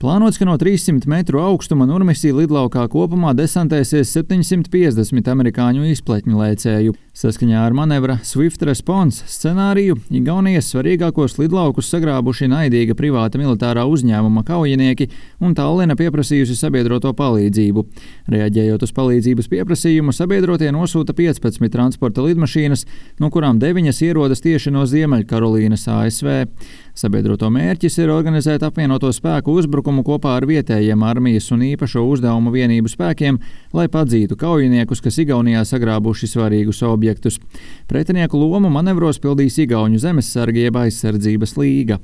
Plānots, ka no 300 metru augstuma Nurmisī lidlaukā kopumā desantēsies 750 amerikāņu izpletņu lēcēju. Saskaņā ar manevra Swift Response scenāriju Igaunijas svarīgākos lidlaukus sagrābuši naidīga privāta militārā uzņēmuma kaujinieki un Tallinna pieprasījusi sabiedroto palīdzību. Reaģējot uz palīdzības pieprasījumu, sabiedrotie nosūta 15 transporta lidmašīnas, no kurām 9 ierodas tieši no Ziemeļkarolīnas, ASV. Sabiedroto mērķis ir organizēt apvienoto spēku uzbrukumu kopā ar vietējiem armijas un īpašo uzdevumu vienību spēkiem, lai padzītu kaujiniekus, kas Igaunijā sagrābuši svarīgus objektus. Pretinieku lomu manevros pildīs Igauņu zemessargi jeb aizsardzības līga.